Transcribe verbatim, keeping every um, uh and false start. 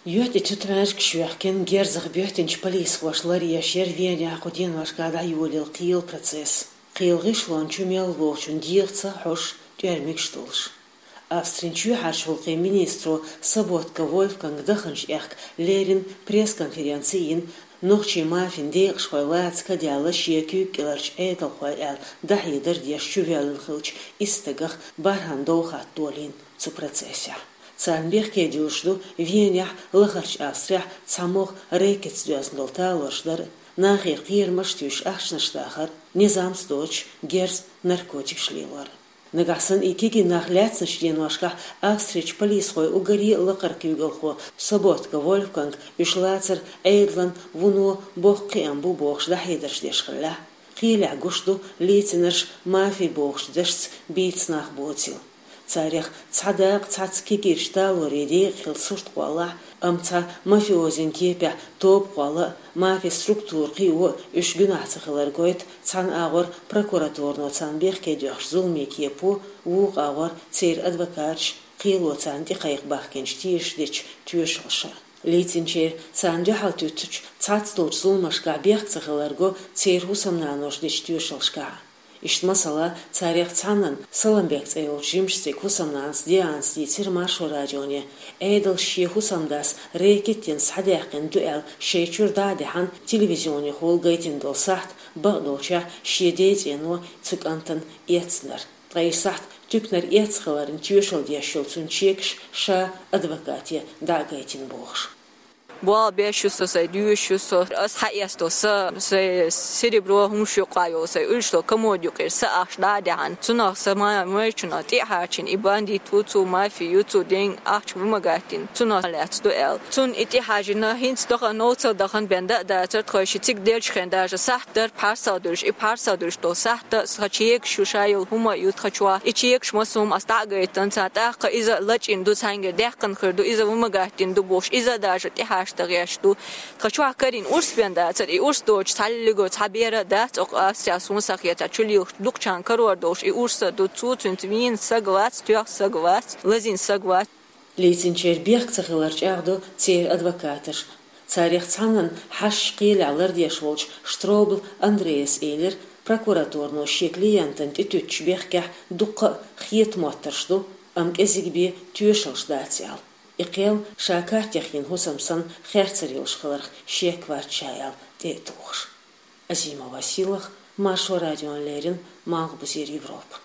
ЮьхьтӀе тутмаьжкаш йоьхкина герзах боьттинчу полисхоша ларъеш яра Венехь кху деношкахь дӀайолийла кхелан процесс. Кхелан гӀишлон чу мел волчун дегӀаца хьожуш тӀоьрмигаш долуш. Австрин чоьхьарчу гӀуллакхийн министро Соботка Вольфганга даханчу аьхка леррина пресс-конференци йина, нохчийн мафин декъашхой лаца каделла шен куьйга кӀеларчу Ӏедалхой аьлла дӀахьедар деш чувоьллина хиллачу исс стагах бархӀанна дов хатта долийна цу процессехь. Царна бехке дуьллуш ду Венехь, Лахарчу Австрехь цхьа могӀа рэкетца доьзна долу талорш дар а, нахера кхерамаш а туьйсуш ахчанаш дахар а, низамца доцуш герз, наркотикаш лелор а. Нагахь санна и кегий нах лаьцначу деношкахь Австрерчу полисхойн уггаре а лакхара куьйгалхо Соботка Вольфганг уьш лацар Ӏедалан вуно боккха кхиам бу бохуш дӀахьедарш деш хиллехь, кхелехь гуш ду лийцинарш мафи бохучу дашца бийца нах боцийла. Царех цхьа дакъа цхьацца кегийрчу талорийн декъахь хилла сурт кхоллахь а, амма цхьа мафиозин кепехь тоба кхолла а, мафин структура кхио а уьш гуьнахь ца хилар гойту цхьана агӀор прокуратуро царна бехке доьхначу зуламийн кепо, вукху агӀор церан адвокаташа, кхело царна тӀекхайкха бахкинчу тешаш дечу тоьшаллаша. Лийцинчеран царна дуьхьал туьттучу цхьацца долчу зуламашкахь бехк ца хилар го церан хӀусамнаноша дечу тоьшаллашкахь. Иштта, масала, царех цхьаннан, Саламбек цӀе йолчу жимачу стеган хӀусамнанас Дианас дийцира Маршо радионе, Ӏедалша шен хӀусамдас рэкет йина схьадаьккхина ду аьлла шайн чуьра дӀа а даьхьна, телевизионехула гайтина долу сахьт, бакъдолчехь, шен ден цӀено цу кӀантана эцнарг. Ткъа и сахьт туьканара эцна хиларна тоьшалла деш йолу цуьнан чекаш ша адвокате дӀа а гайтина бохуш. Болх беш ю со, сайн доьшуш ю со, ас схьаэцна долу са, сайн серебро, хӀумнаш юкъахь йолу, сайн уьш долу комод юкъера са ахча дӀа а даьхьна, цунах сан ма-, майрачунах тӀе а хьарчийна, и бандит ву цо, мафи ю цо, ден ахча вымогать дина, цунах лаьцна ду аьлла. Цунна и тӀе хьажийна, хӀинца дахана, новцал дахана бен дан а дацара, тхо ши цига деллачу хенахь даже сахьт дара пхьарсалдуьллуш, и пхьарсалдуьллуш долу сахьт тхан чекаш ю, ша йолу хӀума а ю тхан чохь. И чекаш массо а ас дӀа а гайтина, царна тӀаккха иза лачкъийна ду, цхьаьнгара даьккхина хир ду, иза вымогать дина ду бохуш, иза а даже тӀехьашта гӀерташ ду. Тхан чохь карийна урс бен дацара, и урс доцуш цхьаллиго цхьа бер а дац, оха Австрехь суна схьахетарехь, чулилгӀа дукхачарна карор долуш и урс а ду, цо цуьнца вийна саг вац, тоьхна саг вац, лазийна саг вац. Лийцинчеран бехк ца хилар чӀагӀдо церан адвокаташа. Царех цхьаннан хьашташ кхелехь лардеш волчу Штробл Андрейс элира, прокуратуро шен клиентана тӀетуьттучу бехкехь дуккха а хетамоттарш ду, амма кӀезиг бен тоьшаллаш дац аьлла. И кхел ша картехь йина хӀусам санна херцар йолуш хиларх шек вац ша аьлла тӀе а тухуш. Азимова Сийлаха, Маршо радиона леррина, Малхбузера Европа.